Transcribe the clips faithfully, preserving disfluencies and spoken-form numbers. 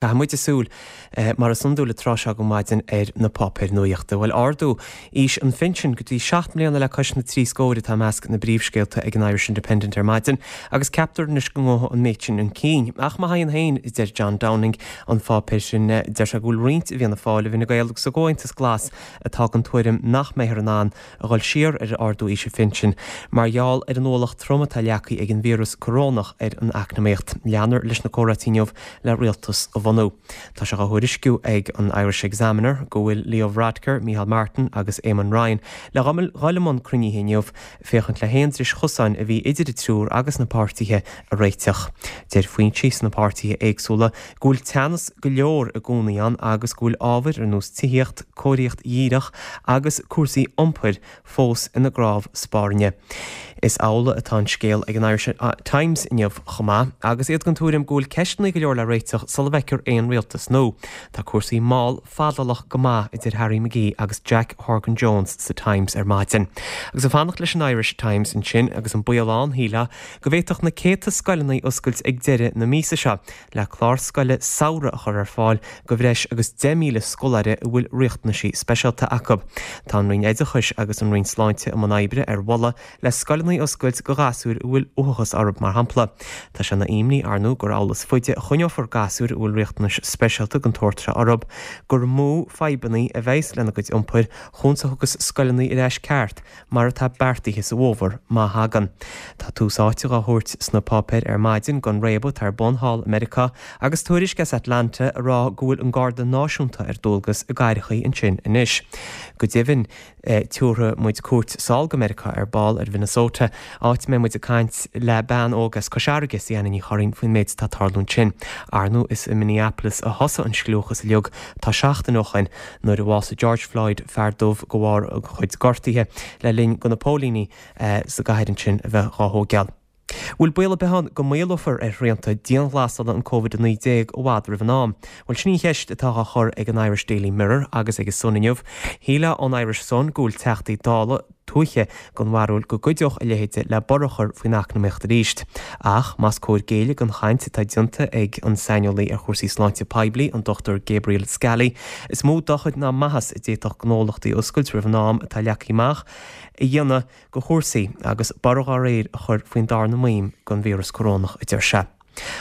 Caithfidh muid súil, mar is iondúil an tráth seo go maidin, ar na páipéir nuachta. Bhuel, ardú aois an phinsin go dtí seacht mbliana le cois na trí scóir atá i measc na bpríomhscéalta ag an Irish Independent ar maidin agus ceaptar anois go ngabhfaidh an méid sin chun cinn. Ach má thagann féin, a deir John Downing an pháipéir sin, deir sé go bhfuil roinnt i bhFianna Fáil, i bhFine Gael agus i gComhaontas Glas atá den tuairim nach mbeifear in ann a dhul siar ar ardú aois an phinsin mar gheall ar an ualach trom atá leagtha ag an víreas corónach ar an eacnamaíocht. Leanfar leis na comhráití inniu le rialtas a bhunú. Tá sé á thuairisciú ag an Irish Examiner go bhfuil Leo Varadkar, Micheál Martin agus Eamon Ryan le dhul i mbun cruinnithe inniu féachaint le haon dris chosáin a bhí idir an triúr agus na páirtithe a réiteach. Deir foinsí sna páirtithe éagsúla go bhfuil teannas go leor i gcónaí ann agus go bhfuil ábhair ar nós tithíocht, cóiríocht dhíreach agus cúrsaí iompair fós ina gcnámh spairne. Is amhlaidh atá an scéal ag an Irish Times inniu chomh maith, agus iad den tuairim go bhfuil ceisteanna go leor le réiteach sula bhfeicfear aon rialtas nua. Tá cúrsaí mall fadálach go maith, a deir Harry McGee agus Jack Horgan Jones sa Times ar maidin. Agus ag fanacht leis an Irish Times ansin, agus an baol ann, shílfeá, go bhféadfadh na céadta scoileanna oscailt ag deireadh na míosa seo le clár scoile samhraidh a chur ar fáil do bhreis agus deich míle scoláire a bhfuil riachtanaisí speisialta acu. Tá an Roinn Oideachais agus an Roinn Sláinte i mbun oibre ar mholadh le scoileanna a oscailt do ghasúir a bhfuil uathachas orthu, mar shampla. Tá sé ina imní, ar ndóigh, gur amhlaidh is faide a choinneofar gasúir a bhfuil riachtanais speisialta den tsórt seo orthu, gur mó fadhbanna a bheas lena gcuid iompair chúns a thiocfas scoileanna ar ais ceart mar atá beartaithe sa bhfómhar, má thagann. Tá tús áite dhá thabhairt sna páipéir ar maidin don réabadh atá ar bun thall i Meiriceá agus tuairisc as Atlanta a rá go bhfuil an Garda Náisiúnta ar dualgas i gcathrachaí ansin anois. Go deimhin, tabharfaidh muid cuairt sall go Meiriceá ar ball, ar Mhinnesota, áit a mbeidh muid ag caint le bean óg as Cois Fharraige, Sianna Ní Churraoin, faoin méid atá ag tarlú ansin. Ar ndóigh, is i Minneapolis a thosaigh an scliúchas uilig, tá seachtain ó shoin, nuair a bhásaigh George Floyd, fear dubh, de bharr a chuid gortuithe le linn do na póilíní sa gcathair ansin a bheith dhá thóigeáil. Bhfuil baol ar bith ann go maolófar ar shrianta dianghlasála an Covid a naoi déag i bhfad roimh an am? Bhuel, sin í an cheist atá á chur ag an Irish Daily Mirror agus ag an Sun inniu. Shílfeá ón Irish Sun go bhfuil Teachtaí Dála tuaithe den bharúil go gcuideodh a leithéid le borradh a chur faoin eacnamaíocht arís. Ach más cóir géilleadh don chaint atá déanta ag an saineolaí ar chúrsaí sláinte poiblí, an Dochtúir Gabriel Scally, is mó dochar ná maitheas a d'fhéadfadh gnólachtaí oscailt roimh an am atá leagtha amach a dhéanamh do chúrsaí agus borradh dá réir a chur faoin darna maidhm den víreas corónach, a deir sé.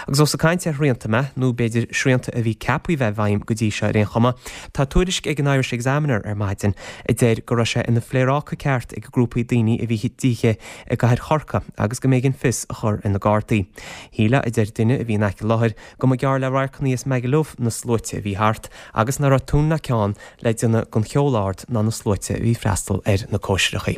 Agus ós ag caint ar shrianta mé, nó b'fhéidir srianta a bhí ceaptha a bheith i bhfeidhm go dtí seo ar aon chuma, tá tuairisc ag an Irish Examiner ar maidin a deir go raibh sé ina phléaráca ceart ag grúpaí daoine a bhí d'oíche i gcathair Chorcaí agus go mb'éigean fios a chur ar na Gardaí. Shílfeá, a deir duine a bhí in aice láthair, go mba gearr le radharcanna as Magaluf na sluaite a bhí thart agus nach raibh tuin ná ceann le déanamh den cheol ard ná na sluaite a bhí ag freastal ar na cóisireacha.